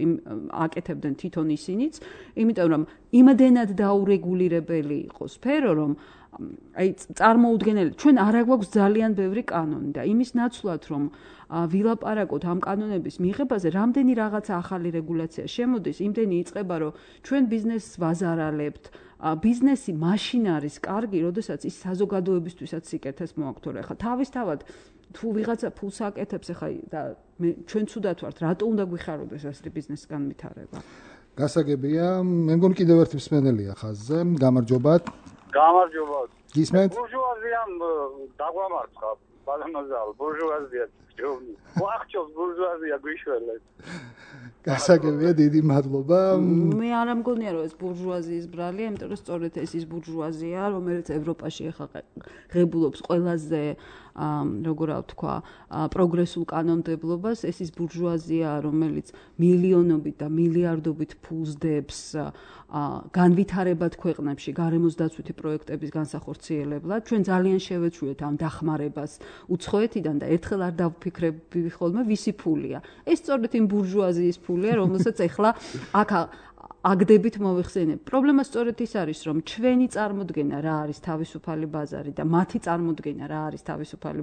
S3: აკეთებდნენ თვითონ ისინიც, იმიტომ რომ იმდენად დაურეგულირებელი იყო სფერო, რომ აი წარმოუდგენელი, ჩვენ არ აგვაქვს ძალიან ბევრი კანონი და იმის ნაცვლად, რომ ვილაპარაკოთ ამ კანონების მიღებაზე, რამდენი რაღაცა ახალი რეგულაცია შემოდის, იმდენი იწყება, რომ ჩვენ ბიზნესს ვაზარალებთ, ბიზნესი მაშინ არის კარგი, როდესაც ის საზოგადოებისთვისაც სიკეთეს მოაქვს. ახლა თავისთავად თუ ვიღაცა ფულს აკეთებს, ახლა და ჩვენ ცუდად ვართ, რატო უნდა გვიხაროდეს ასეთი ბიზნესის განვითარება?
S2: გასაგებია, მე მგონი კიდევ ერთი მსმენელია ხაზზე, გამარჯობათ.
S7: გამარჯობა.
S2: გისმენთ?
S7: ბურჟუაზიამ დაგვამარცხა, ბალამაზალ, ბურჟუაზია ჯოვნი. ვახჩოს ბურჟუაზია გვიშველეთ.
S2: გასაგებია, დიდი მადლობა.
S3: მე არ ამგონია რომ ეს ბურჟუაზიის ბრალია, იმიტომ რომ სწორედ ეს ის ბურჟუაზია, რომელიც ევროპაში ახლა ღებულობს ყველაზე როგორ ვთქვა, პროგრესულ კანონმდებლობას, ეს ის ბურჟუაზია, რომელიც მილიონობით და მილიარდობით ფულს დებს განვითარებად ქვეყნებში გარემოს დაცვითი პროექტების განსახორციელებლად. ჩვენ ძალიან შევეჩვიეთ ამ დახმარებას უცხოეთიდან და ერთხელ არ დავფიქრები ხოლმე ვისი ფულია. ეს სწორედ იმ ბურჟუაზიის ფულია, რომელსაც ეხლა აქ აგდებით მოვიხსენებ. პრობლემა სწორედ ის არის, რომ ჩვენი წარმოდგენა რა არის თავისუფალი ბაზარი და მათი წარმოდგენა რა არის თავისუფალი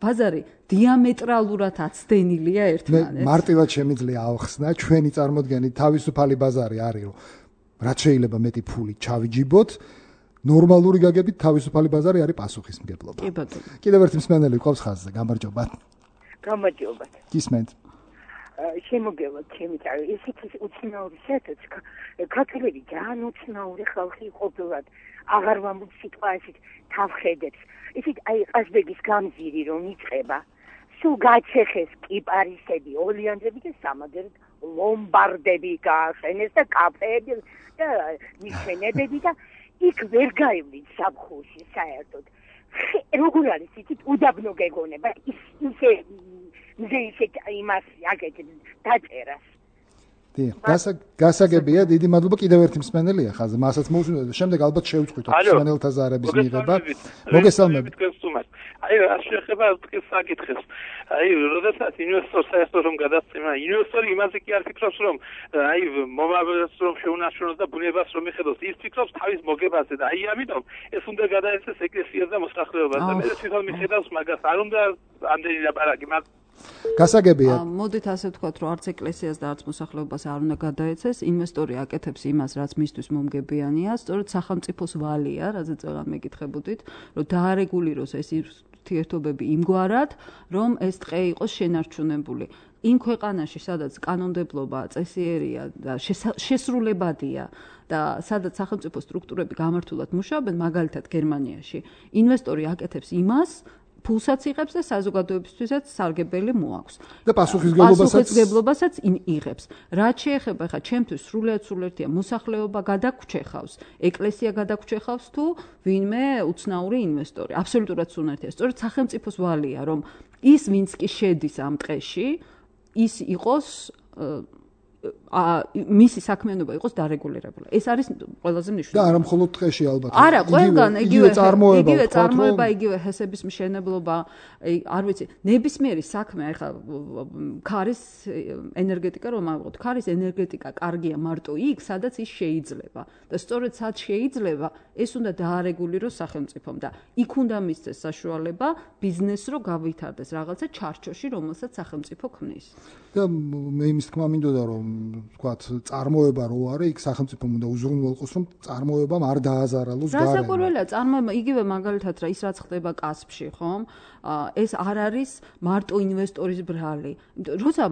S3: ბაზარი დიამეტრალურად აცდენილია ერთმანეთს.
S2: მე მარტივად შემიძლია ავხსნა, ჩვენი წარმოდგენით თავისუფალი ბაზარი არის, რომ რაც შეიძლება მეტი ფული ჩავიჯიბოთ, ნორმალური გაგებით თავისუფალი ბაზარი არის პასუხისმგებლობა.
S3: კი ბატონო.
S2: კიდევ ერთი მსმენელი ყავს ხაზზე, გამარჯობა.
S8: გამარჯობა.
S2: გისმენთ?
S8: შემოგევლოთ ჩემი თავი. ესეთი უცნაური საერთოდ ქართველები ძალიან უცნაური ხალხი ყოფილად აღარ ვამბობ სიტყვა ესეთ თავხედებს. ისეთ აი ყაზბეგის გამზირი რომ იწყება. სულ გაჩეხეს კიპარისები, ოლიანძები და სამაგერად ლომბარდები გაახენეს და კაფეები და მიშენებები და იქ ვერ გაივლით სამხურში საერთოდ. როგორ არის იცით უდაბნო გეგონება ის ისე მზე ისე იმას აკეთებ დაწერას.
S2: დიახ, გასაგებია, დიდი მადლობა. კიდევ ერთი მსმენელია ხაზზე, მასაც მოусმინოთ და შემდეგ ალბათ შევწყვიტოთ მსმენელთა ზარების მიღება. მოგესალმებით.
S9: აი, რა შეეხება ეს საკითხებს. აი, როდესაც ინვესტორს საერთოდ რომ გადასწრება, ინვესტორი იმაზე კი არ ფიქრობს, რომ აი, მომავალს რომ შეუნარჩუნოს და ბუნებას რომ მიხედოს, ის ფიქრობს თავის მოგებაზე და აი, ამიტომ ეს უნდა გადაეცეს ეკლესიას და მოსახლეობას და მე თვითონ მიხედავს მაგას, არ უნდა ამდენი ლაპარაკი, მაგ
S2: გასაგებია.
S3: მოდით ასე ვთქვათ, რომ არც ეკლესიას და არც მოსახლეობას არ უნდა გადაეცეს, ინვესტორი აკეთებს იმას, რაც მისთვის მომგებიანია, სწორედ სახელმწიფოს ვალია, რაზეც წელად მეკითხებოდით, რომ დაარეგულიროს ეს ურთიერთობები იმგვარად, რომ ეს ტყე იყოს შენარჩუნებული. იმ ქვეყანაში, სადაც კანონმდებლობა წესიერია და შესრულებადია და სადაც სახელმწიფო სტრუქტურები გამართულად მუშაობენ, მაგალითად გერმანიაში, ინვესტორი აკეთებს იმას, ფულსაც იღებს და საზოგადოებისთვისაც სარგებელი მოაქვს.
S2: და
S3: პასუხისმგებლობასაც იღებს. რაც შეეხება ხა ჩემთვის სრულიად სულერთია მოსახლეობა გადაგვრჩეხავს, ეკლესია გადაგვრჩეხავს თუ ვინმე უცნაური ინვესტორი. აბსოლუტურად სულერთია. სწორედ სახელმწიფოს ვალია, რომ ის ვინც კი შედის ამ ტყეში, ის იყოს მისი საქმიანობა იყოს დარეგულირებული. ეს არის ყველაზე მნიშვნელოვანი.
S2: და არა მხოლოდ ტყეში ალბათ.
S3: არა, ყველგან იგივე
S2: წარმოება,
S3: იგივე წარმოება, იგივე ჰესების მშენებლობა, არ ვიცი, ნებისმიერი საქმე, ახლა ქარის ენერგეტიკა რომ ავიღოთ, ქარის ენერგეტიკა კარგია მარტო იქ, სადაც ის შეიძლება. და სწორედ სად შეიძლება, ეს უნდა დაარეგულიროს სახელმწიფომ და იქ უნდა მისცეს საშუალება ბიზნესს რო გავითარდეს რაღაცა ჩარჩოში, რომელსაც სახელმწიფო ქმნის.
S2: და მე იმის თქმა მინდოდა რომ ვთქვათ, წარმოება რო არის, იქ სახელმწიფომ უნდა უზრუნველყოს, რომ წარმოებამ არ დააზარალოს გარემო.
S3: რასაკვირველია, წარმოება იგივე მაგალითად რა ის რაც ხდება კასპში, ხომ? ეს არ არის მარტო ინვესტორის ბრალი. როცა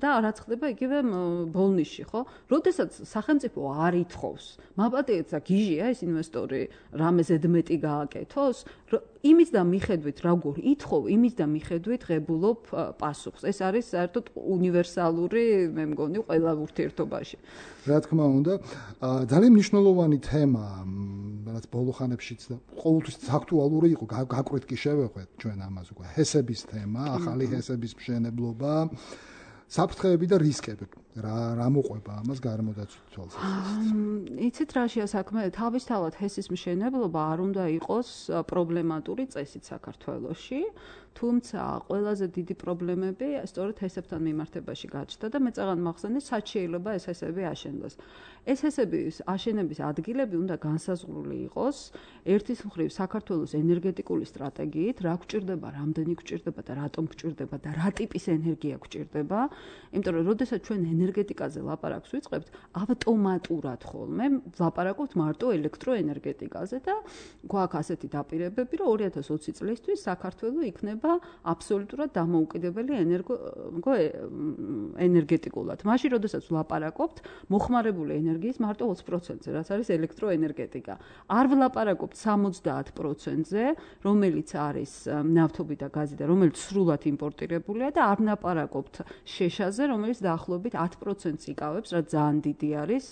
S3: და რაც ხდება იგივე ბოლნიში, ხო? როდესაც სახელმწიფო არ ითხოვს, მაპატიეთ და გიჟია ეს ინვესტორი რამე ზედმეტი გააკეთოს, იმის და მიხედვით როგორ ითხოვ, იმის და მიხედვით ღებულობ პასუხს. ეს არის საერთოდ უნივერსალური, მე მგონი, ყველა ურთიერთობაში.
S2: რა თქმა უნდა, ძალიან მნიშვნელოვანი თემა, რაც ბოლო ხანებშიც და ყოველთვის აქტუალური იყო, გაკვეთ კი შევეხვეთ ჩვენ ამას უკვე. ჰესების თემა, ახალი ჰესების მშენებლობა, საფრთხეები და რისკები. რა რა მოყვება ამას გარემოდაცვის თვალსაზრისით?
S3: იცით რაშია საქმე? თავისთავად ჰესის მშენებლობა არ უნდა იყოს პრობლემატური წესით საქართველოში. თუმცა ყველაზე დიდი პრობლემები სწორედ ჰესებთან მიმართებაში გაჩნდა და მე წაღან მახსენე, სად შეიძლება ეს ჰესები აშენდეს. ეს ჰესების აშენების ადგილები უნდა განსაზღვრული იყოს ერთის მხრივ საქართველოს ენერგეტიკული სტრატეგიით, რა გვჭირდება, რამდენი გვჭირდება და რატომ გვჭირდება და რა ტიპის ენერგია გვჭირდება იმიტომ რომ როდესაც ჩვენ ენერგეტიკაზე ლაპარაკს ვიწყებთ, ავტომატურად ხოლმე ლაპარაკობთ მარტო ელექტროენერგეტიკაზე და გვაქვს ასეთი დაპირებები, რომ ორი ათას ოცი წლისთვის საქართველო იქნება აბსოლუტურად დამოუკიდებელი ენერგო ენერგეტიკულად. მაშინ როდესაც ვლაპარაკობთ მოხმარებული ენერგიის მარტო ოცი პროცენტზე, რაც არის ელექტროენერგეტიკა. არ ვლაპარაკობთ სამოცდაათ პროცენტზე, რომელიც არის ნავთობი და გაზი და რომელიც სრულად იმპორტირებულია და არ ვლაპარაკობთ შეშაზე, რომელიც დაახლოებით ათ პროცენტს იკავებს, რაც ძალიან დიდი არის.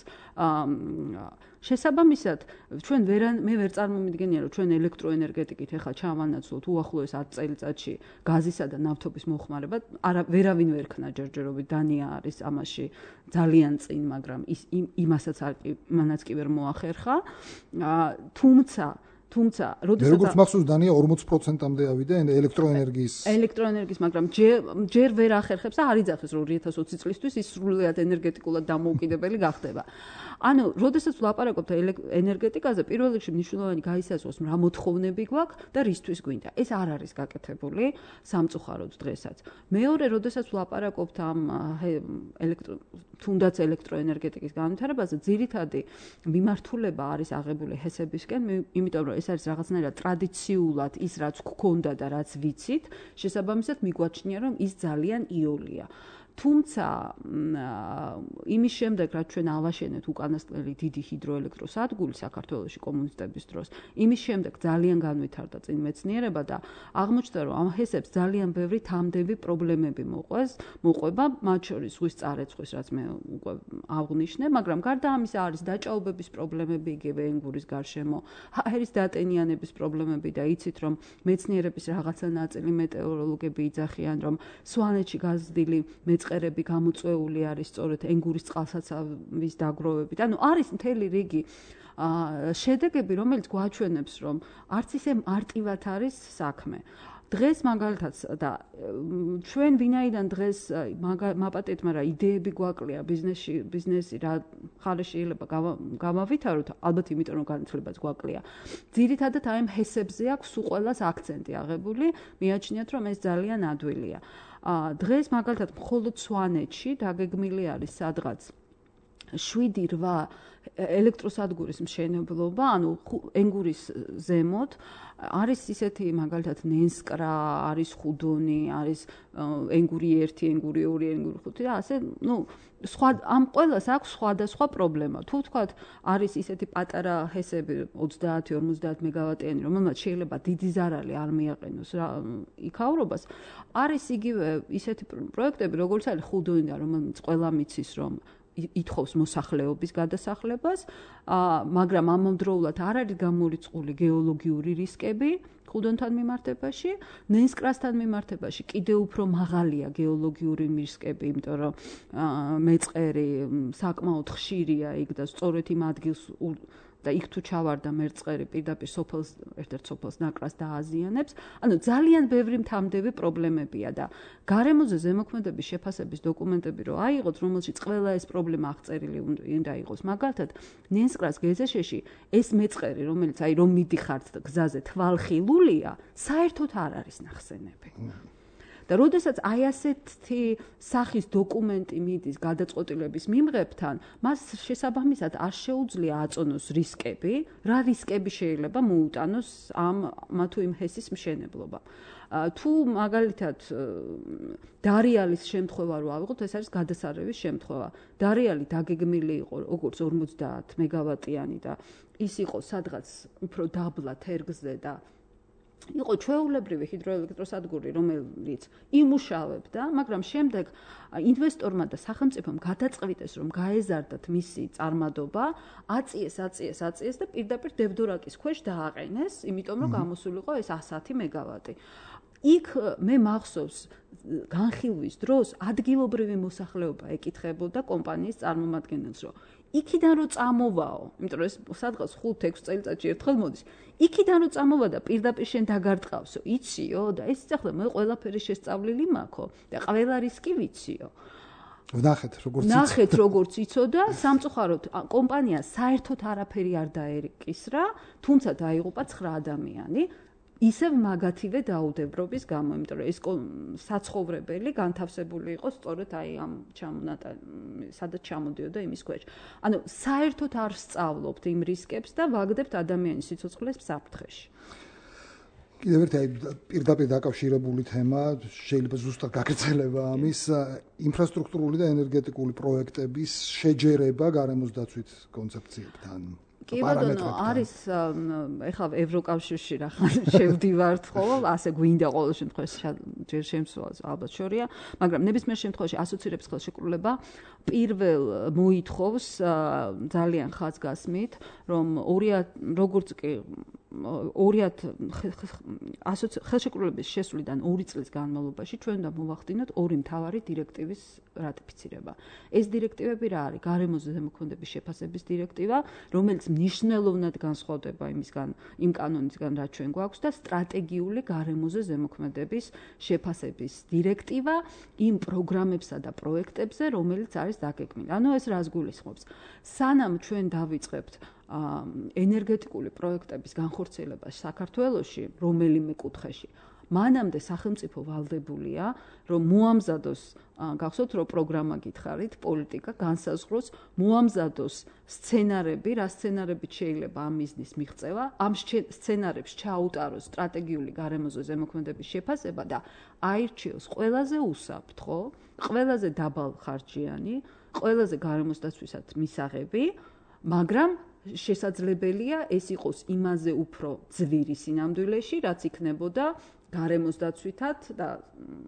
S3: შესაბამისად, ჩვენ ვერ მე ვერ წარმომიდგენია, რომ ჩვენ ელექტროენერგეტიკით ეხლა ჩავანაცვლოთ უახლოეს ათ წელიწადში გაზისა და ნავთობის მოხმარება. არა ვერავინ ვერ ქნა ჯერჯერობით, დანია არის ამაში ძალიან წინ, მაგრამ ის იმასაც არ მანაც კი ვერ მოახერხა. თუმცა თუმცა როდესაც
S2: როგორც მახსოვს დანია ორმოცი პროცენტამდე ავიდა ელექტროენერგიის
S3: ელექტროენერგიის, მაგრამ ჯერ ვერ ახერხებს და არ იძახეს, რომ ორი ათას ოცი წლისთვის ის სრულიად ენერგეტიკულად დამოუკიდებელი გახდება. ანუ, როდესაც ვლაპარაკობთ ენერგეტიკაზე, პირველ რიგში მნიშვნელოვანი გაისაზღვროს, რა მოთხოვნები გვაქვს და რისთვის გვინდა. ეს არ არის გაკეთებული სამწუხაროდ დღესაც. მეორე, როდესაც ვლაპარაკობთ ამ ელექტრო თუნდაც ელექტროენერგეტიკის განვითარებაზე, ძირითადი მიმართულება არის აღებული ჰესებისკენ, იმიტომ რომ ეს არის რაღაცნაირად ტრადიციულად ის რაც გქონდა და რაც ვიცით, შესაბამისად მიგვაჩნია რომ ის ძალიან იოლია. თუმცა იმის შემდეგ რაც ჩვენ ავაშენეთ უკანასკნელი დიდი ჰიდროელექტროსადგური საქართველოში კომუნისტების დროს, იმის შემდეგ ძალიან განვითარდა წინ მეცნიერება და აღმოჩნდა რომ ამ ჰესებს ძალიან ბევრი თამდები პრობლემები მოყვეს, მოყვება, მათ შორის ზღვის წარეცხვის, რაც მე უკვე აღვნიშნე, მაგრამ გარდა ამისა არის დაჭაობების პრობლემები იგივე ენგურის გარშემო, ჰაერის დატენიანების პრობლემები და იცით რომ მეცნიერების რაღაცა ნაწილი მეტეოროლოგები იძახიან რომ სვანეთში გაზრდილი მეწყერები გამოწვეული არის სწორედ ენგურის წყალსაცავის დაგროვებით. ანუ არის მთელი რიგი შედეგები, რომელიც გვაჩვენებს, რომ არც ისე მარტივად არის საქმე. დღეს მაგალითად და ჩვენ ვინაიდან დღეს მაპატეთ, მაგრამ იდეები გვაკლია ბიზნესში, ბიზნესი რა ხალე შეიძლება გავავითაროთ, ალბათ იმიტომ რომ განათლებაც გვაკლია. ძირითადად აი ამ ჰესებზე აქვს სულ ყველას აქცენტი აღებული, მიაჩნიათ რომ ეს ძალიან ადვილია. დღეს მაგალითად მხოლოდ სვანეთში დაგეგმილი არის სადღაც შვიდი რვა ელექტროსადგურის მშენებლობა, ანუ ენგურის ზემოთ არის ისეთი მაგალითად ნენსკრა, არის ხუდონი, არის ენგური ერთი, ენგური ორი, ენგური ხუთი და ასე, ну, სხვა ამ ყველას აქვს სხვადასხვა პრობლემა. თუ ვთქვათ, არის ისეთი პატარა ჰესები ოცდაათი ორმოცდაათი მეგავატიანი, რომელმაც შეიძლება დიდი ზარალი არ მიაყენოს იქაურობას, არის იგივე ისეთი პროექტები, როგორც არის ხუდონი და რომელიც ყველა მიცის, რომ ითხოვს მოსახლეობის გადასახლებას, მაგრამ ამავდროულად არ არის გამორიცხული გეოლოგიური რისკები ხუდონთან მიმართებაში, ნენსკრასთან მიმართებაში კიდევ უფრო მაღალია გეოლოგიური რისკები, იმიტომ რომ მეწყერი საკმაოდ ხშირია იქ და სწორედ იმ ადგილს და იქ თუ ჩავარდა მერწყერი პირდაპირ სოფელს, ერთ-ერთ სოფელს ნაკრას დააზიანებს. ანუ ძალიან ბევრი მთამდები პრობლემებია და გარემოზე ზემოქმედების შეფასების დოკუმენტები რო აიღოთ, რომელშიც ყველა ეს პრობლემა აღწერილი უნდა იყოს. მაგალითად, ნენსკრას გეზეშეში ეს მეწყერი, რომელიც აი რომ მიდიხართ გზაზე თვალხილულია, საერთოდ არ არის ნახსენები. და როდესაც აი ასეთი სახის დოკუმენტი მიდის გადაწყვეტილების მიმღებთან, მას შესაბამისად არ შეუძლია აწონოს რისკები, რა რისკები შეიძლება მოუტანოს ამ მათუ იმ ჰესის მშენებლობა. თუ მაგალითად დარიალის შემთხვევა რო ავიღოთ, ეს არის გადასარევის შემთხვევა. დარიალი დაგეგმილი იყო როგორც ორმოცდაათი მეგავატიანი და ის იყო სადღაც უფრო დაბლა თერგზე და იყო ჩვეულებრივი ჰიდროელექტროსადგური, რომელიც იმუშავებდა, მაგრამ შემდეგ ინვესტორმა და სახელმწიფომ გადაწყვიტეს, რომ გაეზარდათ მისი წარმადობა, აწიეს, აწიეს, აწიეს და პირდაპირ დევდორაკის ქვეშ დააყენეს, იმიტომ რომ გამოსულიყო ეს ასათი მეგავატი. იქ მე მახსოვს განხილვის დროს ადგილობრივი მოსახლეობა ეკითხებოდა კომპანიის წარმომადგენელს, რომ იქიდან რო წამოვაო, იმიტომ რომ ეს სადღაც ხუთ ექვს წელიწადში ერთხელ მოდის. იქიდან რო წამოვა და პირდაპირ შენ დაგარტყავსო, იციო და ეს ახლა მე ყველაფერი შესწავლილი მაქვს და ყველა რისკი ვიციო.
S2: ვნახეთ როგორც იცოდა.
S3: ნახეთ როგორც იცოდა, სამწუხაროდ კომპანია საერთოდ არაფერი არ დაერკისრა, თუმცა დაიღუპა ცხრა ადამიანი. ისევ მაგათივე დაუდევრობის გამო, იმიტომ რომ ეს საცხოვრებელი განთავსებული იყო სწორედ აი ამ ჩამონატა სადაც ჩამოდიოდა იმის ქვეშ. ანუ საერთოდ არ სწავლობთ იმ რისკებს და ვაგდებთ ადამიანის სიცოცხლეს საფრთხეში.
S2: კიდევ ერთი აი პირდაპირ დაკავშირებული თემა, შეიძლება ზუსტად გაგრძელება ამის ინფრასტრუქტურული და ენერგეტიკული პროექტების შეჯერება გარემოს დაცვით კონცეფციებთან.
S3: კი ბატონო, არის ეხლა ევროკავშირში რახან შევდივართ ხოლმე, ასე გვინდა ყოველ შემთხვევაში ჯერ შემსვლელს ალბათ შორია, მაგრამ ნებისმიერ შემთხვევაში ასოცირების ხელშეკრულება პირველ მოითხოვს ძალიან ხაზგასმით, რომ როგორც კი ხელშეკრულების შესვლიდან ორი წლის განმავლობაში ჩვენ უნდა მოვახდინოთ ორი მთავარი დირექტივის რატიფიცირება. ეს დირექტივები რა არის? გარემოზე ზემოქმედების შეფასების დირექტივა, რომელიც მნიშვნელოვნად განსხვავდება იმისგან, იმ კანონისგან, რაც ჩვენ გვაქვს და სტრატეგიული გარემოზე ზემოქმედების შეფასების დირექტივა იმ პროგრამებსა და პროექტებზე, რომელიც არის დაგეგმილი. ანუ ეს რას გულისხმობს? სანამ ჩვენ დავიწყებთ ენერგეტიკული პროექტების განხორციელება საქართველოში, რომელიმე კუთხეში, მანამდე სახელმწიფო ვალდებულია, რომ მოამზადოს, გახსოვთ, რომ პროგრამა გითხარით, პოლიტიკა განსაზღვროს, მოამზადოს სცენარები, რა სცენარებით შეიძლება ამ მიზნის მიღწევა, ამ სცენარებს ჩაუტაროს სტრატეგიული გარემოზე ზემოქმედების შეფასება და აირჩიოს ყველაზე უსაფრთხო, ყველაზე დაბალხარჯიანი, ყველაზე გარემოს დაცვისად მისაღები, მაგრამ შესაძლებელია ეს იყოს იმაზე უფრო ძვირი სინამდვილეში, რაც იქნებოდა გარემოს დაცვითად და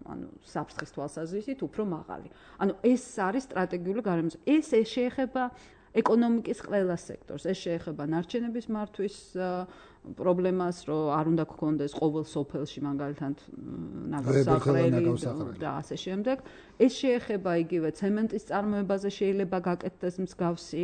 S3: ანუ საფრთხის თვალსაზრისით უფრო მაღალი. ანუ ეს არის სტრატეგიული გარემოს. ეს შეეხება ეკონომიკის ყველა სექტორს. ეს შეეხება ნარჩენების მართვის პრობლემას, რომ არ უნდა გქონდეს ყოველ სოფელში მაგალითად ნაგავსაყრელი და ასე შემდეგ. ეს შეეხება იგივე ცემენტის წარმოებაზე შეიძლება გაკეთდეს მსგავსი,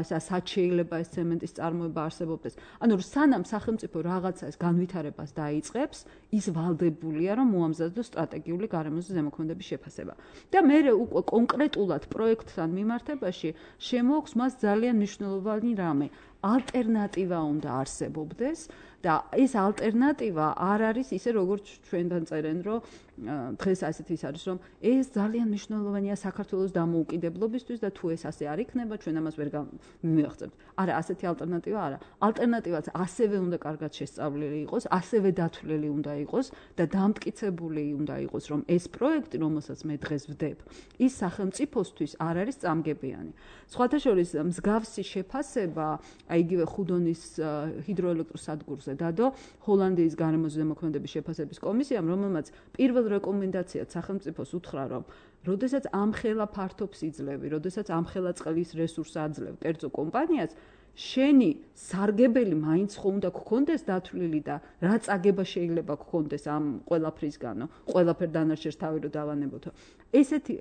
S3: სად შეიძლება ეს ცემენტის წარმოება არსებობდეს. ანუ სანამ სახელმწიფო რაღაცა ეს განვითარებას დაიწყებს, ის ვალდებულია, რომ მოამზადოს სტრატეგიული გარემოზე ზემოქმედების შეფასება. და მერე უკვე კონკრეტულად პროექტთან მიმართებაში შემოაქვს მას ძალიან მნიშვნელოვანი რამე. ალტერნატივა უნდა არსებობდეს და ეს ალტერნატივა არ არის ისე როგორც ჩვენთან წერენ, რომ დღეს ასეთ ის არის, რომ ეს ძალიან მნიშვნელოვანია საქართველოს დამოუკიდებლობისთვის და თუ ეს ასე არ იქნება, ჩვენ ამას ვერ მივიღწევთ. არა, ასეთი ალტერნატივა არა. ალტერნატივაც ასევე უნდა კარგად შესწავლილი იყოს, ასევე დათვლილი უნდა იყოს და დამტკიცებული უნდა იყოს, რომ ეს პროექტი, რომელსაც მე დღეს ვდებ, ის სახელმწიფოსთვის არ არის წამგებიანი. სხვათა შორის მსგავსი შეფასება, აი იგივე ხუდონის ჰიდროელექტროსადგურზე დადო ჰოლანდიის გარემოზე ზემოქმედების შეფასების კომისიამ, რომელმაც პირველ რეკომენდაციად სახელმწიფოს უთხრა, რომ როდესაც ამხელა ფართობს იძლევი, როდესაც ამხელა წყლის რესურსს აძლევ კერძო კომპანიას, შენი სარგებელი მაინც ხო უნდა გქონდეს დათვლილი და რა წაგება შეიძლება გქონდეს ამ ყველაფრისგანო, ყველაფერ დანარჩენს თავი რო დავანებოთო. ესეთი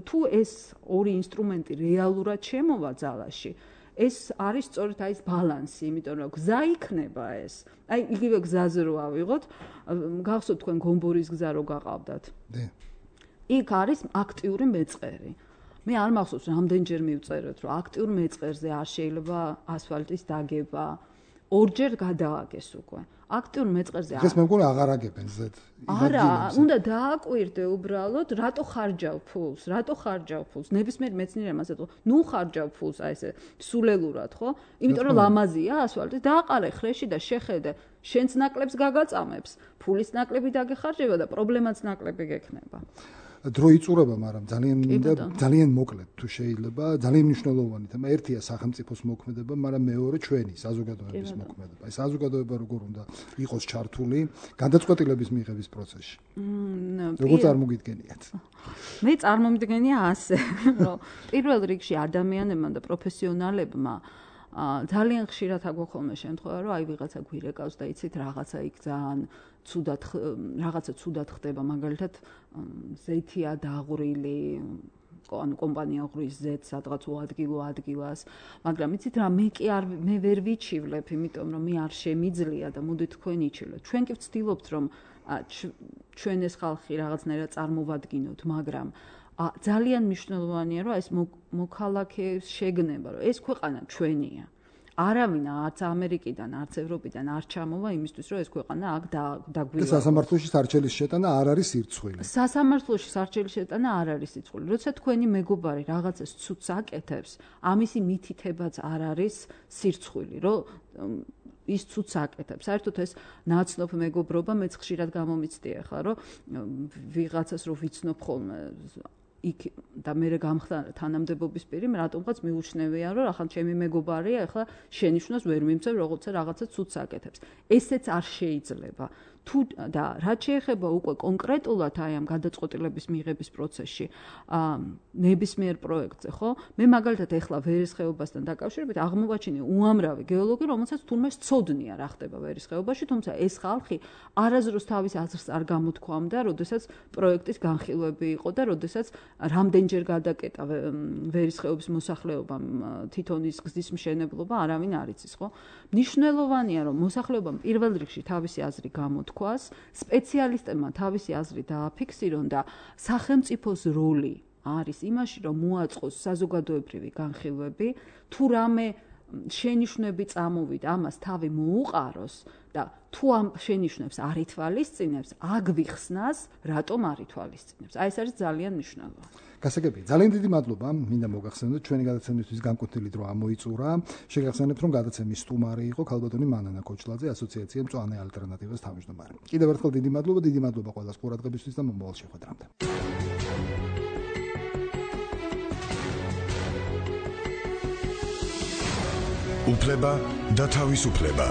S3: თუ ეს ორი ინსტრუმენტი რეალურად შემოვა ძალაში, ეს არის სწორედ აი ეს ბალანსი, იმიტომ რომ გზა იქნება ეს. აი იგივე გზაზე რო ავიღოთ, გახსოვთ თქვენ გომბორის გზა რო გაყავდათ.
S2: დე.
S3: იქ არის აქტიური მეწყერი. მე არ მახსოვს რამდენჯერ მივწერეთ, რომ აქტიურ მეწყერზე არ შეიძლება ასფალტის დაგება. ორჯერ გადააგეს უკვე. აქტიურ მეწყერზე
S2: ეს მე მგონი აღარ აგებენ ზედ.
S3: არა, უნდა დააკვირდე უბრალოდ, რატო ხარჯავ ფულს, რატო ხარჯავ ფულს. ნებისმიერ მეცნიერმა ასეთო, ნუ ხარჯავ ფულს, აი ესე სულელურად, ხო? იმიტომ რომ ლამაზია ასფალტი, დააყარე ხრეში და შეხედე, შენც ნაკლებს გაგაწამებს, ფულის ნაკლები დაგეხარჯება და პრობლემაც ნაკლები გექნება.
S2: დრო იწურება, მაგრამ ძალიან ძალიან მოკლედ თუ შეიძლება, ძალიან მნიშვნელოვანი თემა. ერთია სახელმწიფოს მოქმედება, მაგრამ მეორე ჩვენი საზოგადოების მოქმედება. ეს საზოგადოება როგორ უნდა იყოს ჩართული გადაწყვეტილების მიღების პროცესში. როგორ წარმოგიდგენიათ?
S3: მე წარმომიდგენია ასე, რომ პირველ რიგში ადამიანებმა და პროფესიონალებმა ძალიან ხშირად აგვაქვს ხოლმე შემთხვევა, რომ აი ვიღაცა გვირეკავს და იცით რაღაცა იქ ძალიან ცუდად რაღაცა ცუდად ხდება, მაგალითად ზეთია დაღვრილი, ანუ კომპანია ღრის ზეთს სადღაც უადგილო ადგილას, მაგრამ იცით რა, მე კი არ მე ვერ ვიჩივლებ, იმიტომ რომ მე არ შემიძლია და მოდით თქვენ იჩივლეთ. ჩვენ კი ვცდილობთ, რომ ჩვენ ეს ხალხი რაღაცნაირად წარმოვადგინოთ, მაგრამ ძალიან მნიშვნელოვანია, რომ ეს მოქალაქეს შეგნება, რომ ეს ქვეყანა ჩვენია. არავინ არც ამერიკიდან, არც ევროპიდან არ ჩამოვა იმისთვის, რომ ეს ქვეყანა აქ დაგვივა.
S2: სასამართლოში სარჩელის შეტანა არ არის სირცხვილი.
S3: სასამართლოში სარჩელის შეტანა არ არის სირცხვილი. როცა თქვენი მეგობარი რაღაცას ცუდს აკეთებს, ამისი მითითებაც არ არის სირცხვილი, რომ ის ცუდს აკეთებს. საერთოდ ეს ნაცნობ მეგობრობა მეც ხშირად გამომიცდია ხა, რომ ვიღაცას რო ვიცნობ ხოლმე იქ და მე გამხდა თანამდებობის პირი, რატომღაც მიუჩნევია, რომ ახლა ჩემი მეგობარია, ახლა შენიშვნას ვერ მიმწევ, როცა რაღაცა ცუდს აკეთებს. ესეც არ შეიძლება. თუ და რაც შეეხება უკვე კონკრეტულად აი ამ გადაწყვეტილების მიღების პროცესში, აა ნებისმიერ პროექტზე, ხო? მე მაგალითად ეხლა ვერის ხეობასთან დაკავშირებით აღმოვაჩინე უამრავი გეოლოგი, რომელსაც თურმე სწოდნია რა ხდება ვერის ხეობაში, თუმცა ეს ხალხი არაზრუს თავის აზრს არ გამოთქვამდა, როდესაც პროექტის განხილვები იყო და როდესაც რამდენჯერ გადაკეტა ვერის ხეობის მოსახლეობამ თითონის გზის მშენებლობა, არავინ არ იცის, ხო? მნიშვნელოვანია, რომ მოსახლეობამ პირველ რიგში თავისი აზრი გამოთქვა, სპეციალისტებმა თავისი აზრი დააფიქსირონ და სახელმწიფოს როლი არის იმაში, რომ მოაწყოს საზოგადოებრივი განხილვები, თუ რამე შენიშვნები წამოვიდა, ამას თავი მოუყაროს და თუ ამ შენიშვნებს არ ითვალისწინებს, აგვიხსნას, რატომ არ ითვალისწინებს. აი ეს არის ძალიან მნიშვნელოვანი.
S2: გასაგებია. ძალიან დიდი მადლობა. მინდა მოგახსენოთ, ჩვენი გადაცემისთვის განკუთვნილი დრო ამოიწურა. შეგახსენებთ, რომ გადაცემის სტუმარი იყო ქალბატონი მანანა კოჩლაძე, ასოციაცია მწვანე ალტერნატივას თავმჯდომარე. კიდევ ერთხელ დიდი მადლობა, დიდი მადლობა ყველას ყურადღებისთვის და მომავალ შეხვედრამდე.
S1: უფლება და თავისუფლება.